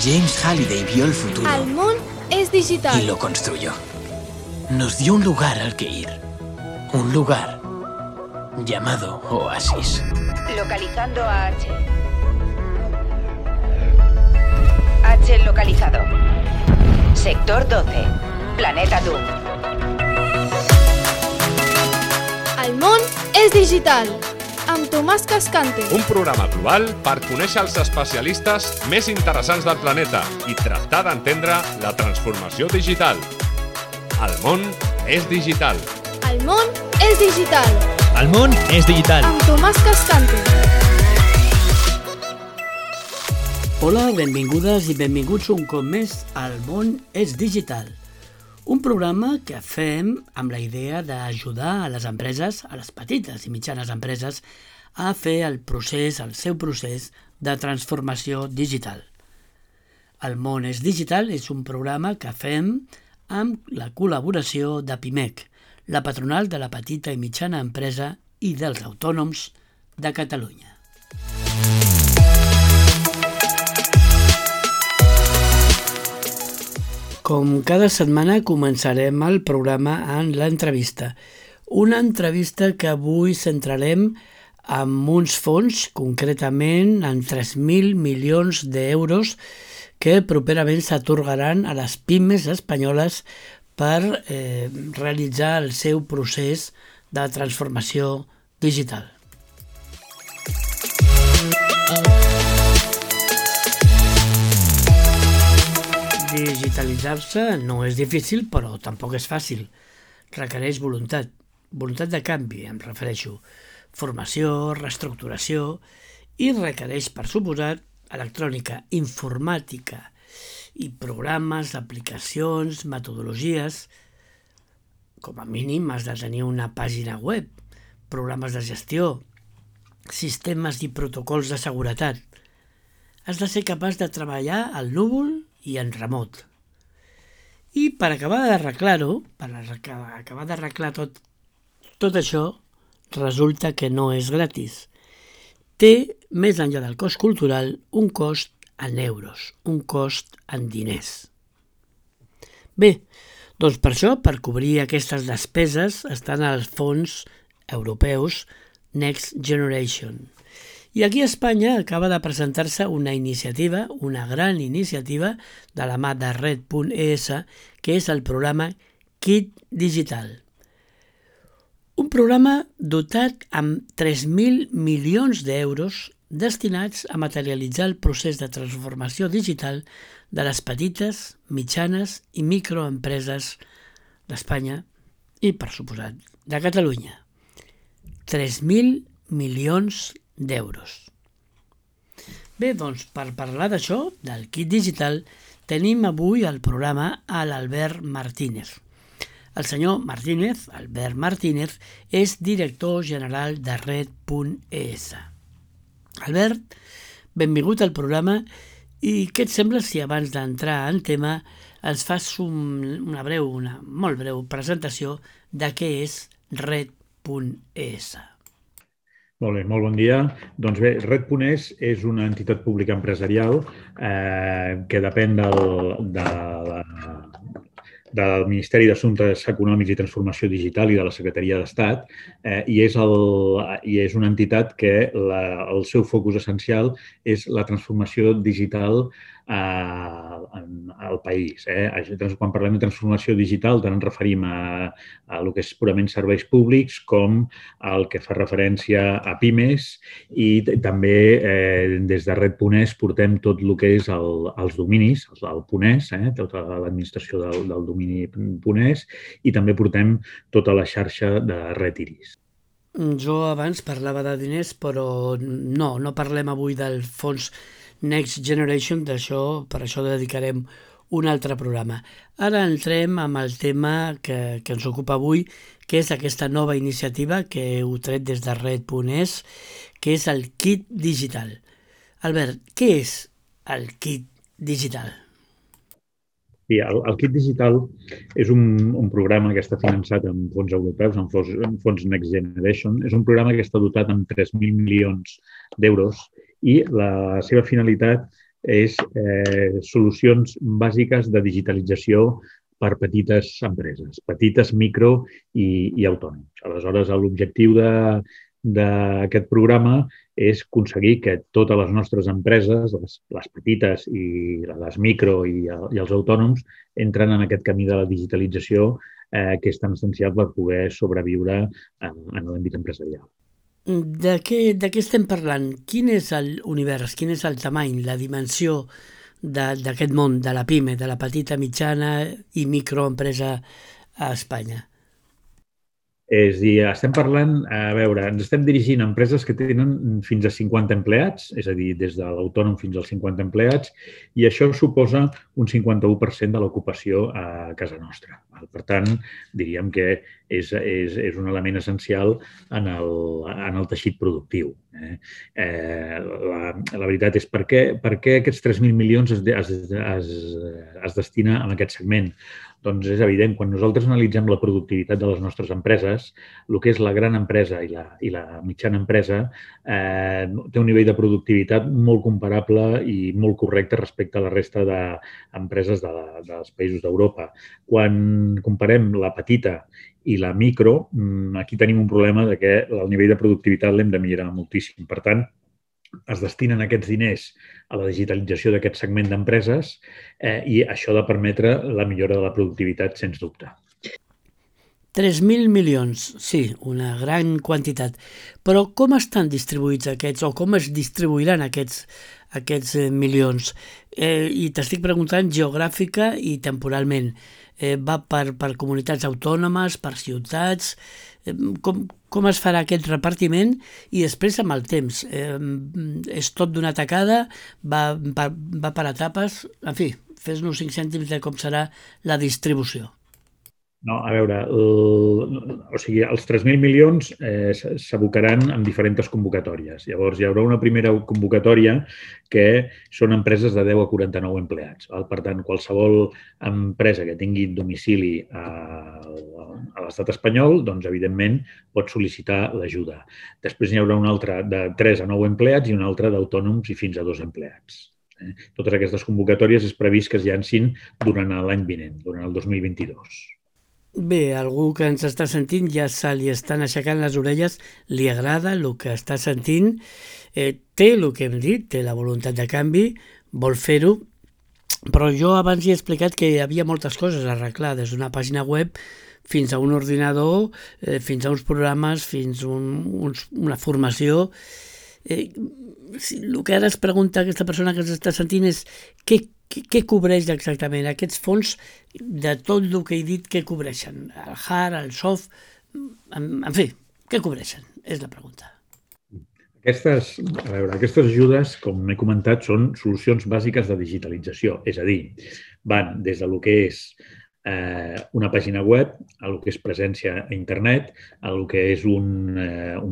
James Halliday vio el futuro. El món es digital. Y lo construyó. Nos dio un lugar al que ir. Un lugar llamado Oasis. Localizando a H. H localizado. Sector 12. Planeta Doom. El món és digital. Amb Tomàs Cascante. Un programa global per conèixer els especialistes més interessants del planeta i tractar d'entendre la transformació digital. El món és digital. El món és digital. El món és digital. Amb Tomàs Cascante. Hola, benvingudes i benvinguts un cop més al món és digital. Un programa que fem amb la idea d'ajudar a les empreses, a les petites i mitjanes empreses, a fer el seu procés de transformació digital. El món és digital és un programa que fem amb la col·laboració de PIMEC, la patronal de la petita i mitjana empresa i dels autònoms de Catalunya. Com cada setmana començarem el programa en l'entrevista. Una entrevista que avui centrarem en uns fons, concretament en 3.000 milions d'euros que properament s'atorgaran a les pimes espanyoles per realitzar el seu procés de transformació digital. Digitalitzar-se no és difícil, però tampoc és fàcil. Requereix voluntat de canvi, em refereixo. Formació, reestructuració i requereix, per suposat, electrònica, informàtica i programes, aplicacions, metodologies. Com a mínim has de tenir una pàgina web, programes de gestió, sistemes i protocols de seguretat. Has de ser capaç de treballar al núvol i en remot. I per acabar d'arreglar-ho, tot això, resulta que no és gratis. Té, més enllà del cost cultural, un cost en euros, un cost en diners. Bé, doncs per això, per cobrir aquestes despeses, estan els fons europeus Next Generation. I aquí a Espanya acaba de presentar-se una iniciativa, una gran iniciativa de la mà de Red.es, que és el programa Kit Digital. Un programa dotat amb 3.000 milions d'euros destinats a materialitzar el procés de transformació digital de les petites, mitjanes i microempreses d'Espanya i, per suposat, de Catalunya. 3.000 milions d'euros. Bé, doncs, per parlar d'això, del kit digital, tenim avui al programa a l'Albert Martínez. El senyor Martínez, Albert Martínez, és director general de Red.es. Albert, benvingut al programa i què et sembla si abans d'entrar en tema ens fas una molt breu presentació de què és Red.es? Molt bé, molt bon dia. Doncs bé, Red.es és una entitat pública empresarial que depèn del Ministeri d'Assumptes Econòmics i Transformació Digital i de la Secretaria d'Estat i és una entitat que el seu focus essencial és la transformació digital al país. Quan parlem de transformació digital tant ens referim a el que és purament serveis públics com el que fa referència a pimes i també des de Red.es portem tot el que és els dominis, el .es, tota l'administració del domini .es i també portem tota la xarxa de Red Iris. Jo abans parlava de diners, però no parlem avui del fons Next Generation, per això dedicarem un altre programa. Ara entrem amb el tema que ens ocupa avui, que és aquesta nova iniciativa que heu tret des de Red.es, que és el kit digital. Albert, què és el kit digital? Sí, el kit digital és un programa que està finançat amb fons europeus, amb fons Next Generation. És un programa que està dotat amb 3.000 milions d'euros i la seva finalitat és solucions bàsiques de digitalització per petites empreses, petites, micro i autònoms. Aleshores, l'objectiu d'aquest programa és aconseguir que totes les nostres empreses, les petites i les micro i els autònoms, entren en aquest camí de la digitalització que és tan essencial per poder sobreviure en l'àmbit empresarial. De què estem parlant? Quin és l'univers, quin és el tamany, la dimensió d'aquest món, de la PIME, de la petita, mitjana i microempresa a Espanya? És a dir, estem parlant, ens estem dirigint a empreses que tenen fins a 50 empleats, és a dir, des de l'autònom fins als 50 empleats, i això suposa un 51% de l'ocupació a casa nostra. Per tant, diríem que és un element essencial en el teixit productiu. La veritat és per què aquests 3.000 milions es destina a aquest segment. Doncs és evident, quan nosaltres analitzem la productivitat de les nostres empreses, el que és la gran empresa i la mitjana empresa té un nivell de productivitat molt comparable i molt correcte respecte a la resta d'empreses dels països d'Europa. Quan comparem la petita i la micro, aquí tenim un problema de que el nivell de productivitat l'hem de millorar moltíssim. Per tant, es destinen aquests diners a la digitalització d'aquest segment d'empreses i això ha de permetre la millora de la productivitat, sens dubte. 3.000 milions, sí, una gran quantitat. Però com estan distribuïts aquests, o com es distribuiran aquests milions? I t'estic preguntant geogràfica i temporalment. Va per comunitats autònomes, per ciutats? Com es farà aquest repartiment i després amb el temps? És tot d'una tacada? Va per etapes? En fi, fes-nos 5 cèntims de com serà la distribució. No, a veure, els 3.000 milions s'abocaran en diferents convocatòries. Llavors, hi haurà una primera convocatòria que són empreses de 10 a 49 empleats. Per tant, qualsevol empresa que tingui domicili a l'estat espanyol, doncs, evidentment, pot sol·licitar l'ajuda. Després n'hi haurà una altra de 3 a 9 empleats i una altra d'autònoms i fins a 2 empleats. Totes aquestes convocatòries és previst que es llancin durant l'any vinent, durant el 2022. Bé, algú que ens està sentint ja se li estan aixecant les orelles, li agrada el que està sentint, té el que hem dit, té la voluntat de canvi, vol fer-ho, però jo abans hi he explicat que hi havia moltes coses a arreglar, des d'una pàgina web fins a un ordinador, fins a uns programes, fins a una formació. El que ara es pregunta aquesta persona que ens està sentint és què cobreix exactament aquests fons de tot el que he dit que cobreixen? El hard, el soft, en fi, què cobreixen? És la pregunta. Aquestes ajudes, com he comentat, són solucions bàsiques de digitalització, és a dir, van des del que és una pàgina web, a lo que és presència a internet, a lo que és un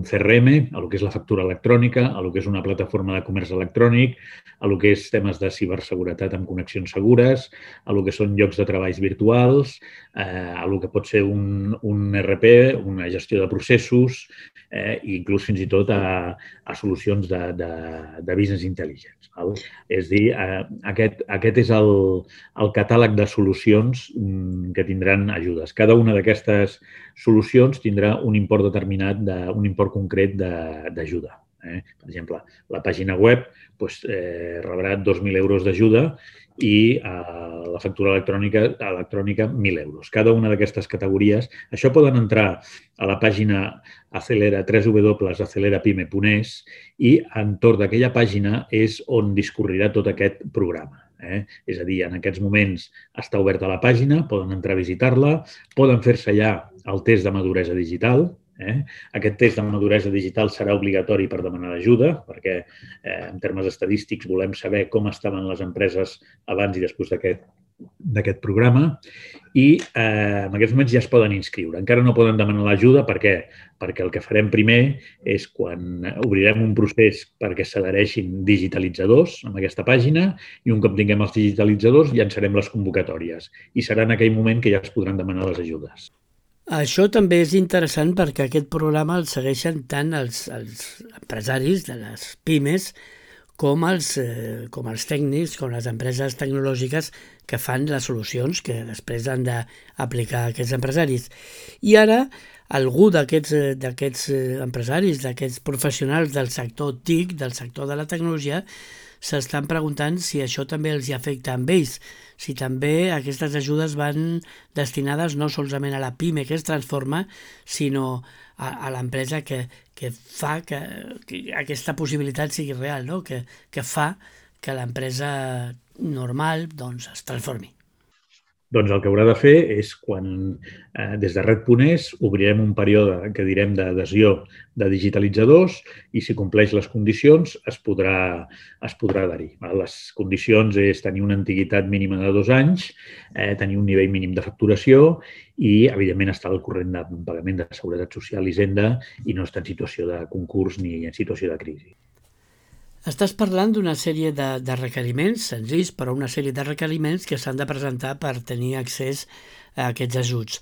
CRM, a lo que és la factura electrònica, a lo que és una plataforma de comerç electrònic, a lo que és temes de ciberseguretat amb connexions segures, a lo que són llocs de treballs virtuals, a lo que pot ser un RP, una gestió de processos, i inclús fins i tot a solucions de business intelligence. És a dir, aquest és el catàleg de solucions que tindran ajudes. Cada una d'aquestes solucions tindrà un import determinat, un import concret d'ajuda. Per exemple, la pàgina web rebrà 2.000 euros d'ajuda i la factura electrònica 1.000 euros. Cada una d'aquestes categories. Això poden entrar a la pàgina www.acelerapyme.es i entorn d'aquella pàgina és on discorrirà tot aquest programa. És a dir, en aquests moments està oberta la pàgina, poden entrar a visitar-la, poden fer-se ja el test de maduresa digital. Aquest test de maduresa digital serà obligatori per demanar ajuda, perquè en termes estadístics volem saber com estaven les empreses abans i després d'aquest programa i en aquests moments ja es poden inscriure. Encara no poden demanar l'ajuda perquè el que farem primer és quan obrirem un procés perquè s'adhereixin digitalitzadors en aquesta pàgina i un cop tinguem els digitalitzadors llançarem les convocatòries i serà en aquell moment que ja es podran demanar les ajudes. Això també és interessant perquè aquest programa el segueixen tant els empresaris de les pimes com els tècnics, com les empreses tecnològiques que fan les solucions que després han d'aplicar aquests empresaris. I ara algú d'aquests empresaris, d'aquests professionals del sector TIC, del sector de la tecnologia, s'estan preguntant si això també els afecta amb ells, si també aquestes ajudes van destinades no solament a la PIME que es transforma, sinó a l'empresa que fa que aquesta possibilitat sigui real, no? que fa que l'empresa normal es transformi. Doncs el que haurà de fer és quan des de Red.es obrirem un període que direm d'adhesió de digitalitzadors i si compleix les condicions es podrà adherir. Les condicions és tenir una antiguitat mínima de 2 anys, tenir un nivell mínim de facturació i, evidentment, estar al corrent de pagament de Seguretat Social i Hisenda i no estar en situació de concurs ni en situació de crisi. Estàs parlant d'una sèrie de requeriments, senzills, però una sèrie de requeriments que s'han de presentar per tenir accés a aquests ajuts.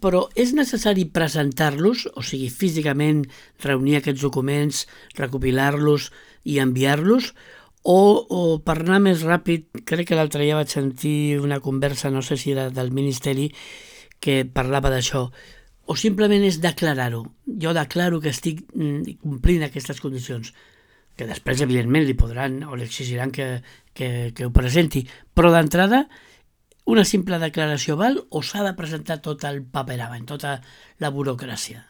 Però és necessari presentar-los, o sigui, físicament reunir aquests documents, recopilar-los i enviar-los, o per anar més ràpid, crec que l'altre dia vaig sentir una conversa, no sé si era del Ministeri, que parlava d'això, o simplement és declarar-ho. Jo declaro que estic complint aquestes condicions, que després, evidentment, li podran o li exigiran que ho presenti. Però d'entrada, una simple declaració val o s'ha de presentar tot el paperament, tota la burocràcia?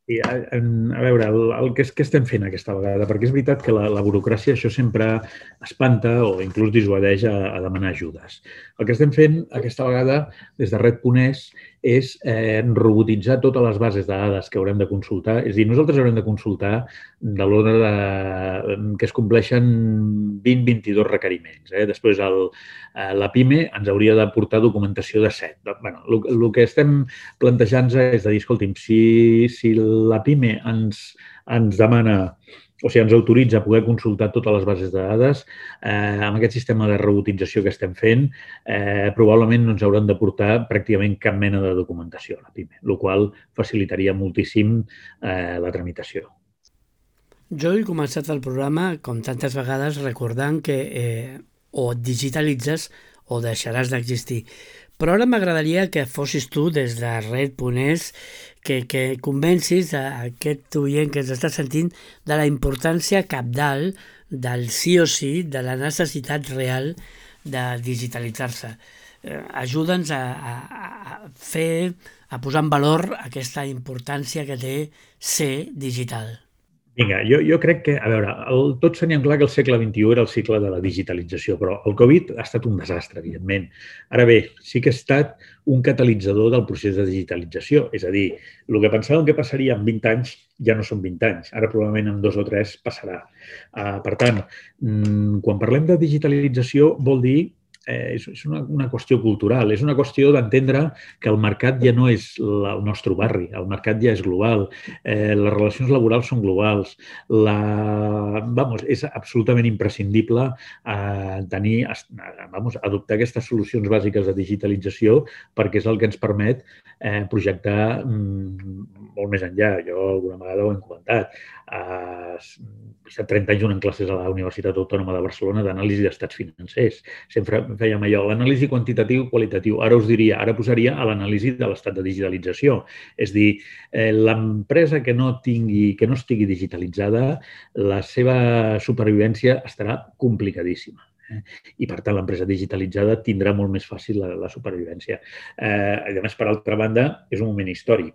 I, a veure, què estem fent aquesta vegada? Perquè és veritat que la burocràcia això sempre espanta o inclús dissuadeix a demanar ajudes. El que estem fent aquesta vegada des de Red.es és robotitzar totes les bases de dades que haurem de consultar. És a dir, nosaltres haurem de consultar de l'ordre que es compleixen 20-22 requeriments. Després la PIME ens hauria de portar documentació de 7. El que estem plantejant-nos és de dir, escolti'm, si la PIME ens demana o sigui, ens autoritza a poder consultar totes les bases de dades, amb aquest sistema de robotització que estem fent, probablement no ens hauran de portar pràcticament cap mena de documentació a la PIME, el qual facilitaria moltíssim la tramitació. Jo he començat el programa, com tantes vegades, recordant que o et digitalitzes o deixaràs d'existir. Però ara m'agradaria que fossis tu, des de Red.es, que convencis a aquest oient que ens està sentint de la importància cabdal del sí o sí, de la necessitat real de digitalitzar-se. Ajuda'ns a posar en valor aquesta importància que té ser digital. Vinga, jo crec que, a veure, tots teníem clar que el segle XXI era el cicle de la digitalització, però el Covid ha estat un desastre, evidentment. Ara bé, sí que ha estat un catalitzador del procés de digitalització. És a dir, el que pensàvem que passaria en 20 anys ja no són 20 anys. Ara probablement en 2 o 3 passarà. Per tant, quan parlem de digitalització vol dir és una qüestió cultural, és una qüestió d'entendre que el mercat ja no és el nostre barri, el mercat ja és global, les relacions laborals són globals, és absolutament imprescindible adoptar aquestes solucions bàsiques de digitalització perquè és el que ens permet projectar molt més enllà. Jo alguna vegada ho hem comentat. He estat 30 anys donant classes a la Universitat Autònoma de Barcelona d'anàlisi d'estats financers. Sempre fèiem allò, l'anàlisi quantitatiu i qualitatiu. Ara posaria a l'anàlisi de l'estat de digitalització. És a dir, l'empresa que no estigui digitalitzada, la seva supervivència estarà complicadíssima. I, per tant, l'empresa digitalitzada tindrà molt més fàcil la supervivència. A més, per altra banda, és un moment històric.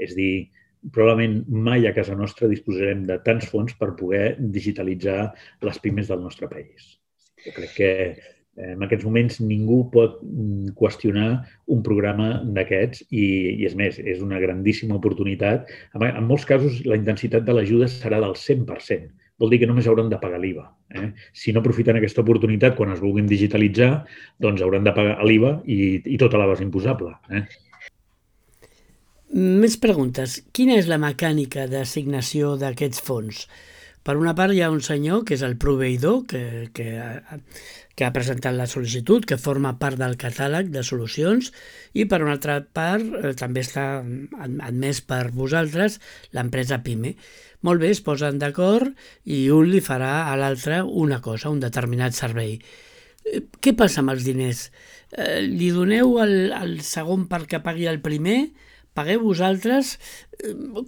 És a dir, probablement mai a casa nostra disposarem de tants fons per poder digitalitzar les pimes del nostre país. Jo crec que en aquests moments ningú pot qüestionar un programa d'aquests i, és més, és una grandíssima oportunitat. En molts casos, la intensitat de l'ajuda serà del 100%. Vol dir que només hauran de pagar l'IVA. Si no aprofiten aquesta oportunitat quan es vulguin digitalitzar, doncs hauran de pagar l'IVA i tota la base imposable. Més preguntes. Quina és la mecànica d'assignació d'aquests fons? Per una part hi ha un senyor que és el proveïdor que ha presentat la sol·licitud, que forma part del catàleg de solucions, i per una altra part també està admès per vosaltres l'empresa PIME. Molt bé, es posen d'acord i un li farà a l'altre una cosa, un determinat servei. Què passa amb els diners? Li doneu el segon perquè pagui el primer? Pagueu vosaltres?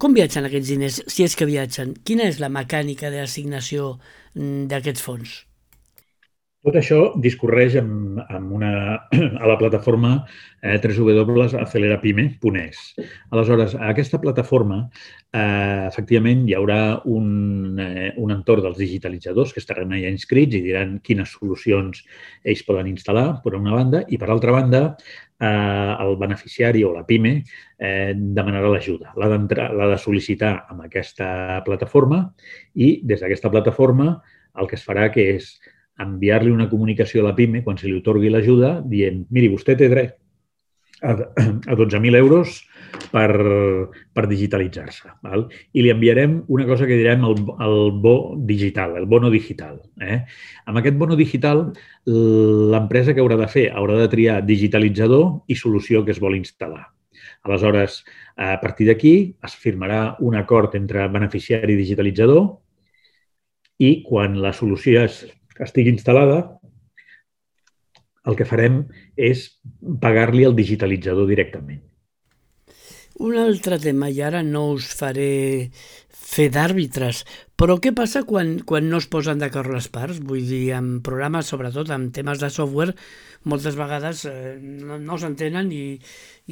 Com viatgen aquests diners, si és que viatgen? Quina és la mecànica d'assignació d'aquests fons? Tot això discorreix a la plataforma www.acelerapime.es. Aleshores, a aquesta plataforma, efectivament, hi haurà un entorn dels digitalitzadors que estaran allà inscrits i diran quines solucions ells poden instal·lar, per una banda, i per altra banda, el beneficiari o la PIME demanarà l'ajuda. L'ha de sol·licitar amb aquesta plataforma i des d'aquesta plataforma el que es farà que és enviar-li una comunicació a la PIME quan se li atorgui l'ajuda dient, miri, vostè té dret a 12.000 euros per digitalitzar-se. I li enviarem una cosa que direm el bo digital, el bono digital. Amb aquest bono digital, l'empresa que haurà de fer haurà de triar digitalitzador i solució que es vol instal·lar. Aleshores, a partir d'aquí es firmarà un acord entre beneficiari i digitalitzador i quan la solució estigui instal·lada, el que farem és pagar-li el digitalitzador directament. Un altre tema, i ara no us faré fer d'àrbitres, però què passa quan no es posen d'acord les parts? Vull dir, en programes, sobretot en temes de software, moltes vegades no s'entenen i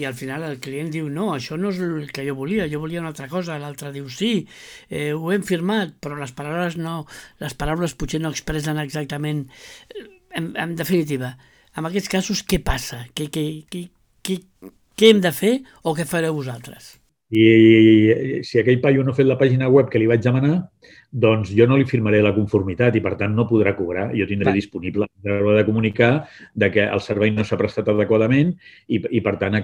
al final el client diu no, això no és el que jo volia una altra cosa, l'altre diu sí, ho hem firmat, però les paraules potser no expressen exactament. En definitiva, en aquests casos, què passa? Què hem de fer o què fareu vosaltres? I si aquell paio no ha fet la pàgina web que li vaig demanar, doncs jo no li firmaré la conformitat i, per tant, no podrà cobrar. Jo tindré disponible de comunicar que el servei no s'ha prestat adequadament i, per tant,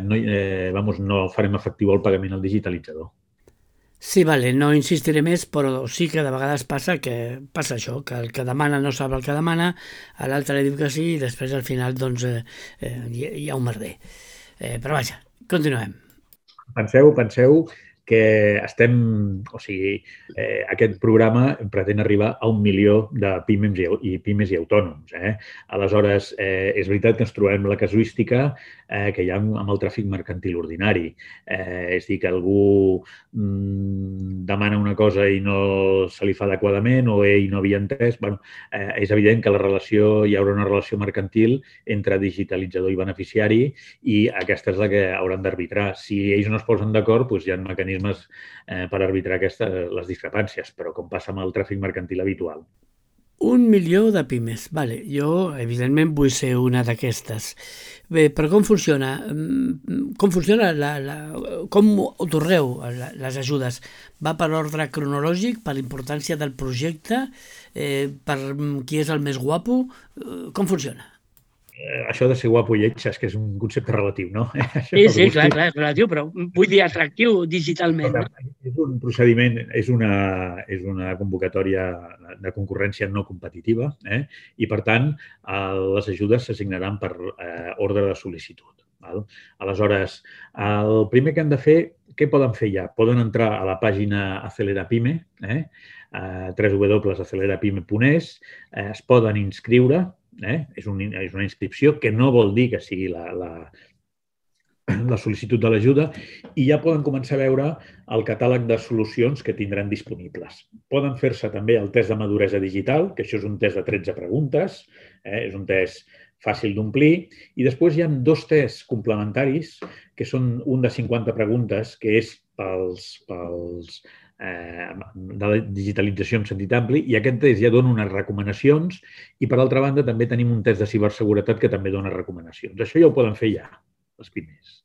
no farem efectiu el pagament al digitalitzador. Sí, vale, no insistiré més, però sí que de vegades passa això, que el que demana no sap el que demana, a l'altre li diu que sí i després al final doncs hi ha un merder. Però vaja, continuem. Penseu que aquest programa pretén arribar a 1 milió de pimes i autònoms. Aleshores, és veritat que ens trobem la casuística que hi ha amb el tràfic mercantil ordinari. És dir, que algú demana una cosa i no se li fa adequadament o ell no havia entès. És evident que hi haurà una relació mercantil entre digitalitzador i beneficiari i aquesta és la que hauran d'arbitrar. Si ells no es posen d'acord, hi ha mecanismes per arbitrar les discrepàncies, però com passa amb el tràfic mercantil habitual. 1 milió de pimes. Vale, jo, evidentment, vull ser una d'aquestes. Bé, però com funciona? Com otorgueu les ajudes? Va per ordre cronològic, per l'importància del projecte, per qui és el més guapo? Com funciona? Això de ser guapo i lleig és que és un concepte relatiu, no? Sí, clar, és relatiu, però vull dir atractiu digitalment. És un procediment, és una convocatòria de concurrència no competitiva i, per tant, les ajudes s'assignaran per ordre de sol·licitud. Aleshores, el primer que han de fer, què poden fer ja? Poden entrar a la pàgina Acelerapime, www.acelerapime.es, es poden inscriure. És una inscripció que no vol dir que sigui la sol·licitud de l'ajuda i ja poden començar a veure el catàleg de solucions que tindran disponibles. Poden fer-se també el test de maduresa digital, que això és un test de 13 preguntes, és un test fàcil d'omplir, i després hi ha 2 tests complementaris, que són un de 50 preguntes, que és de la digitalització en sentit ampli, i aquest test ja dona unes recomanacions i, per altra banda, també tenim un test de ciberseguretat que també dona recomanacions. Això ja ho poden fer ja, les pimes.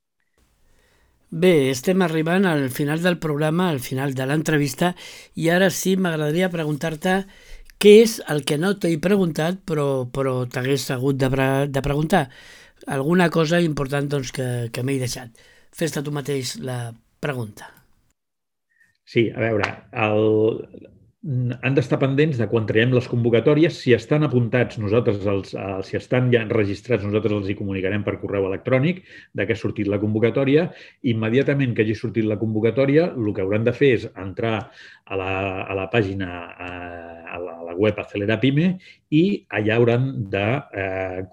Bé, estem arribant al final del programa, al final de l'entrevista, i ara sí m'agradaria preguntar-te què és el que no t'he preguntat però t'hagués hagut de preguntar. Alguna cosa important doncs, que m'he deixat. Fes-te tu mateix la pregunta. Sí, a veure, han d'estar pendents de quan traiem les convocatòries. Si estan apuntats, si estan ja enregistrats, nosaltres els hi comunicarem per correu electrònic de que ha sortit la convocatòria. Immediatament que hagi sortit la convocatòria, el que hauran de fer és entrar a la pàgina, a la web Acelera Pime, i allà hauran de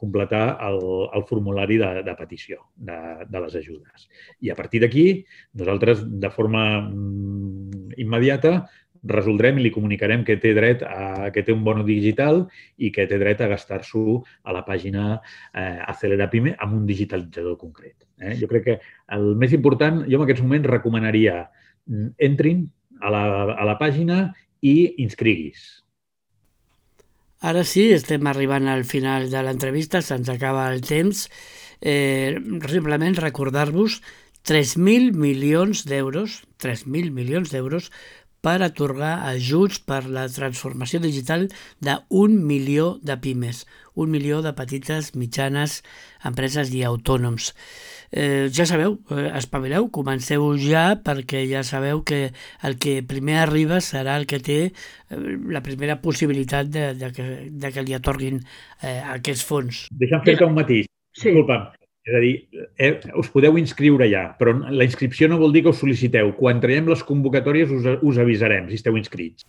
completar el formulari de petició de les ajudes. I a partir d'aquí, nosaltres, de forma immediata, resoldrem i li comunicarem que té dret que té un bono digital i que té dret a gastar-s'ho a la pàgina Acelera Pime amb un digitalitzador concret. Jo crec que el més important, jo en aquests moments recomanaria entrin a la pàgina i inscriguis. Ara sí, estem arribant al final de l'entrevista, se'ns acaba el temps. Simplement recordar-vos 3.000 milions d'euros, 3.000 milions d'euros per atorgar ajuts per la transformació digital d'1 milió de pimes, 1 milió de petites, mitjanes empreses i autònoms. Ja sabeu, espavileu, comenceu ja, perquè ja sabeu que el que primer arriba serà el que té la primera possibilitat de que li atorguin aquests fons. Deixa'm fer-te un matís. Sí. Disculpa'm. És a dir, us podeu inscriure ja, però la inscripció no vol dir que us sol·liciteu. Quan traiem les convocatòries us avisarem si esteu inscrits.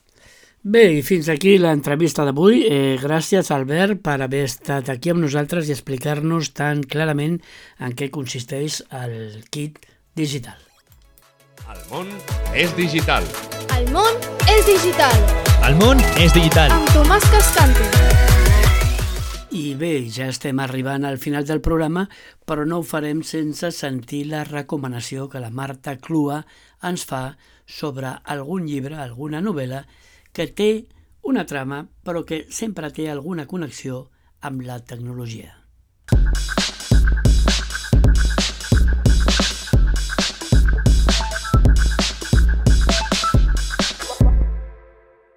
Bé, i fins aquí l'entrevista d'avui. Gràcies, Albert, per haver estat aquí amb nosaltres i explicar-nos tan clarament en què consisteix el kit digital. El món és digital. El món és digital. El món és digital. Amb Tomàs Cascante. I bé, ja estem arribant al final del programa, però no ho farem sense sentir la recomanació que la Marta Clua ens fa sobre algun llibre, alguna novel·la, que té una trama, però que sempre té alguna connexió amb la tecnologia.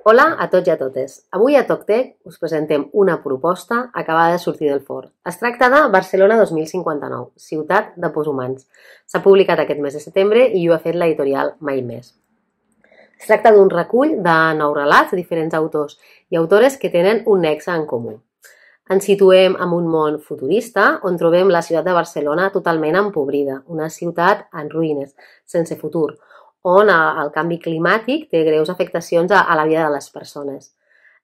Hola a tots i a totes. Avui a TocTec us presentem una proposta acabada de sortir del forn. Es tracta de Barcelona 2059, ciutat de poshumans. S'ha publicat aquest mes de setembre i ho ha fet l'editorial Mai Més. Es tracta d'un recull de 9 relats de diferents autors i autores que tenen un nexe en comú. Ens situem en un món futurista on trobem la ciutat de Barcelona totalment empobrida, una ciutat en ruïnes, sense futur, on el canvi climàtic té greus afectacions a la vida de les persones.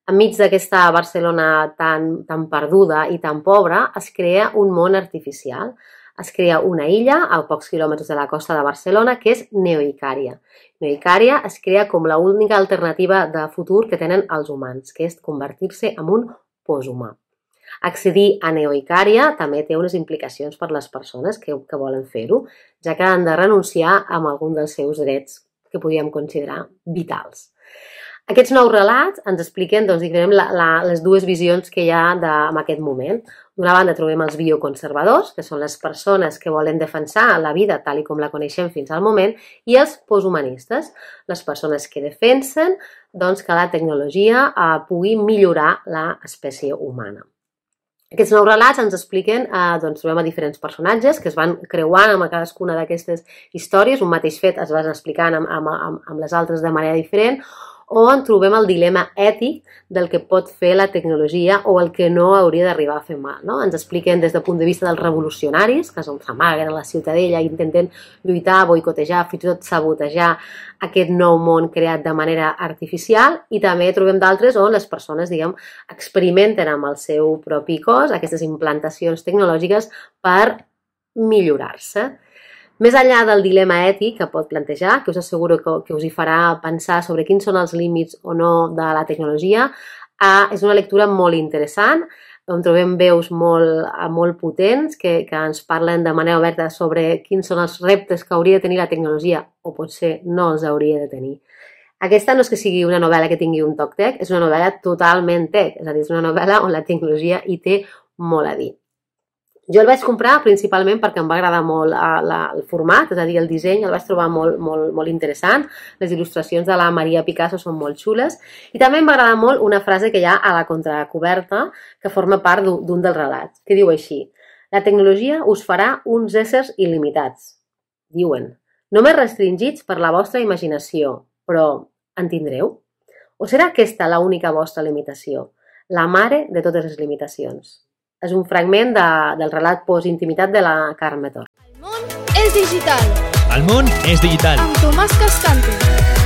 Enmig d'aquesta Barcelona tan perduda i tan pobra, es crea un món artificial. Es crea una illa a pocs quilòmetres de la costa de Barcelona que és Neoicària. Neoicària es crea com l'única alternativa de futur que tenen els humans, que és convertir-se en un poshumà. Accedir a Neoicària també té unes implicacions per les persones que volen fer-ho, ja que han de renunciar a algun dels seus drets que podríem considerar vitals. Aquests 9 relats ens expliquen les dues visions que hi ha en aquest moment. D'una banda trobem els bioconservadors, que són les persones que volen defensar la vida tal com la coneixem fins al moment, i els posthumanistes, les persones que defensen que la tecnologia pugui millorar l'espècie humana. Aquests 9 relats ens expliquen, trobem a diferents personatges que es van creuant amb cadascuna d'aquestes històries, un mateix fet es van explicant amb les altres de manera diferent, on trobem el dilema ètic del que pot fer la tecnologia o el que no hauria d'arribar a fer mal. Ens expliquen des del punt de vista dels revolucionaris, que s'amaguen a la ciutadella i intenten lluitar, boicotejar, fins i tot sabotejar aquest nou món creat de manera artificial, i també trobem d'altres on les persones, experimenten amb el seu propi cos aquestes implantacions tecnològiques per millorar-se. Més enllà del dilema ètic que pot plantejar, que us asseguro que us hi farà pensar sobre quins són els límits o no de la tecnologia, és una lectura molt interessant, on trobem veus molt potents que ens parlen de manera oberta sobre quins són els reptes que hauria de tenir la tecnologia o potser no els hauria de tenir. Aquesta no és que sigui una novel·la que tingui un toc tech, és una novel·la totalment tech, és a dir, és una novel·la on la tecnologia hi té molt a dir. Jo el vaig comprar principalment perquè em va agradar molt el format, és a dir, el disseny el vaig trobar molt interessant, les il·lustracions de la Maria Picasso són molt xules, i també em va agradar molt una frase que hi ha a la contracoberta que forma part d'un dels relats, que diu així: la tecnologia us farà uns éssers il·limitats, diuen, només restringits per la vostra imaginació, però en tindreu? O serà aquesta l'única vostra limitació? La mare de totes les limitacions. És un fragment del relat Postintimitat de la Carme Tor. El món és digital. El món és digital. Amb Tomàs Cascante.